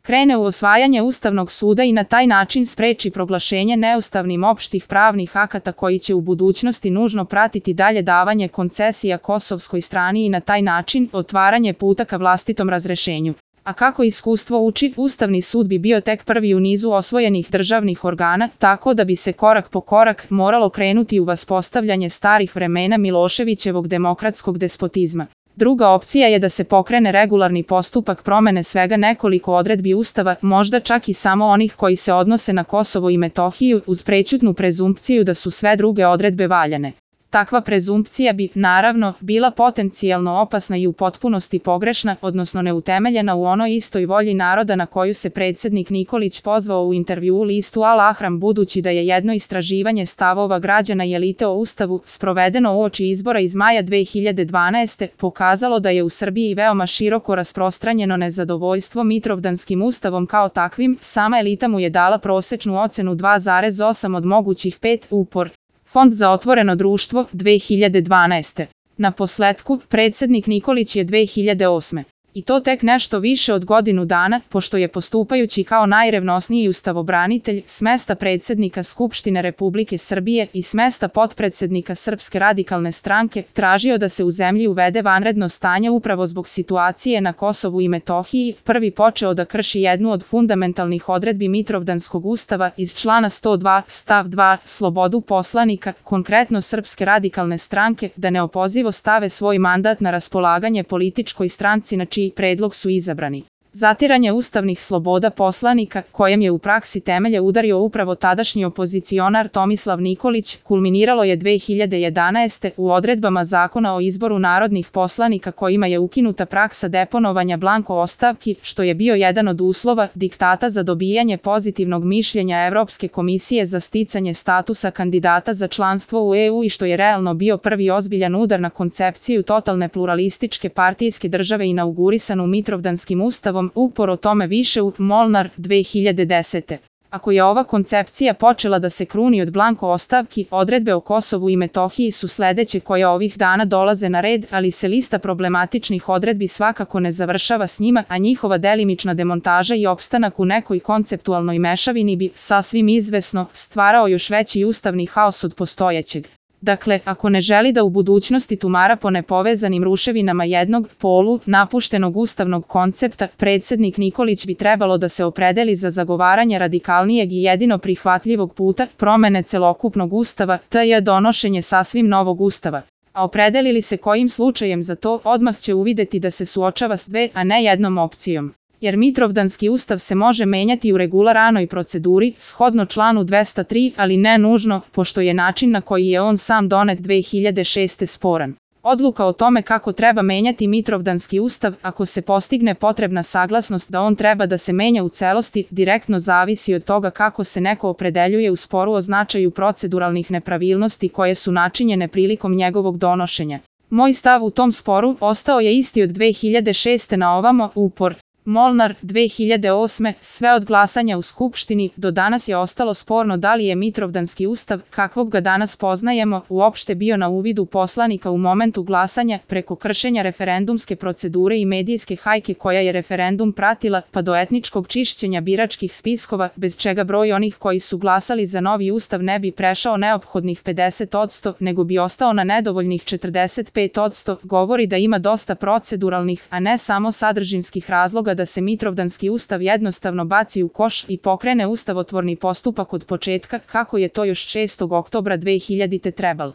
krene u osvajanje Ustavnog suda i na taj način spreči proglašenje neustavnim opštih pravnih akata koji će u budućnosti nužno pratiti dalje davanje koncesija kosovskoj strani i na taj način otvaranje puta ka vlastitom razrešenju. A kako iskustvo uči, Ustavni sud bi bio tek prvi u nizu osvojenih državnih organa, tako da bi se korak po korak moralo krenuti u vaspostavljanje starih vremena Miloševićevog demokratskog despotizma. Druga opcija je da se pokrene regularni postupak promene svega nekoliko odredbi Ustava, možda čak i samo onih koji se odnose na Kosovo i Metohiju, uz prećutnu prezumpciju da su sve druge odredbe valjane. Takva prezumpcija bi, naravno, bila potencijalno opasna i u potpunosti pogrešna, odnosno neutemeljena u onoj istoj volji naroda na koju se predsjednik Nikolić pozvao u intervjuu listu Al-Ahram, budući da je jedno istraživanje stavova građana i elite o Ustavu, sprovedeno uoči izbora iz maja 2012. pokazalo da je u Srbiji veoma široko rasprostranjeno nezadovoljstvo Mitrovdanskim ustavom kao takvim, sama elita mu je dala prosečnu ocenu 2,8 od mogućih 5, upor. Fond za otvoreno društvo, 2012. Naposletku, predsjednik Nikolić je 2008. I to tek nešto više od godinu dana, pošto je postupajući kao najrevnosniji ustavobranitelj s mesta predsjednika Skupštine Republike Srbije i s mesta potpredsjednika Srpske radikalne stranke, tražio da se u zemlji uvede vanredno stanje upravo zbog situacije na Kosovu i Metohiji, prvi počeo da krši jednu od fundamentalnih odredbi Mitrovdanskog ustava iz člana 102, stav 2, slobodu poslanika, konkretno Srpske radikalne stranke, da neopozivo stave svoj mandat na raspolaganje političkoj stranci na čiji predlog su izabrani. Zatiranje ustavnih sloboda poslanika, kojem je u praksi temelje udario upravo tadašnji opozicionar Tomislav Nikolić, kulminiralo je 2011. u odredbama Zakona o izboru narodnih poslanika kojima je ukinuta praksa deponovanja blanko ostavki, što je bio jedan od uslova diktata za dobijanje pozitivnog mišljenja Evropske komisije za sticanje statusa kandidata za članstvo u EU i što je realno bio prvi ozbiljan udar na koncepciju totalne pluralističke partijske države inaugurisanu Mitrovdanskim ustavom, upor o tome više u Molnar 2010. Ako je ova koncepcija počela da se kruni od blanko ostavki, odredbe o Kosovu i Metohiji su sledeće koje ovih dana dolaze na red, ali se lista problematičnih odredbi svakako ne završava s njima, a njihova delimična demontaža i opstanak u nekoj konceptualnoj mešavini bi, sasvim izvesno, stvarao još veći ustavni haos od postojećeg. Dakle, ako ne želi da u budućnosti tumara po nepovezanim ruševinama jednog, napuštenog ustavnog koncepta, predsjednik Nikolić bi trebalo da se opredeli za zagovaranje radikalnijeg i jedino prihvatljivog puta, promene celokupnog ustava, tj. donošenje sasvim novog ustava. A opredeli li se kojim slučajem za to, odmah će uvideti da se suočava s dve, a ne jednom opcijom. Jer Mitrovdanski ustav se može menjati u regularanoj proceduri, shodno članu 203, ali ne nužno, pošto je način na koji je on sam donet 2006. sporan. Odluka o tome kako treba menjati Mitrovdanski ustav, ako se postigne potrebna saglasnost da on treba da se menja u celosti, direktno zavisi od toga kako se neko opredeljuje u sporu o značaju proceduralnih nepravilnosti koje su načinjene prilikom njegovog donošenja. Moj stav u tom sporu ostao je isti od 2006. na ovamo, upor. Molnar 2008. Sve od glasanja u Skupštini do danas je ostalo sporno da li je Mitrovdanski ustav, kakvog ga danas poznajemo, uopšte bio na uvidu poslanika u momentu glasanja, preko kršenja referendumske procedure i medijske hajke koja je referendum pratila, pa do etničkog čišćenja biračkih spiskova, bez čega broj onih koji su glasali za novi ustav ne bi prešao neophodnih 50%, nego bi ostao na nedovoljnih 45%, govori da ima dosta proceduralnih, a ne samo sadržinskih razloga da se Mitrovdanski ustav jednostavno baci u koš i pokrene ustavotvorni postupak od početka, kako je to još 6. oktobra 2000. trebalo.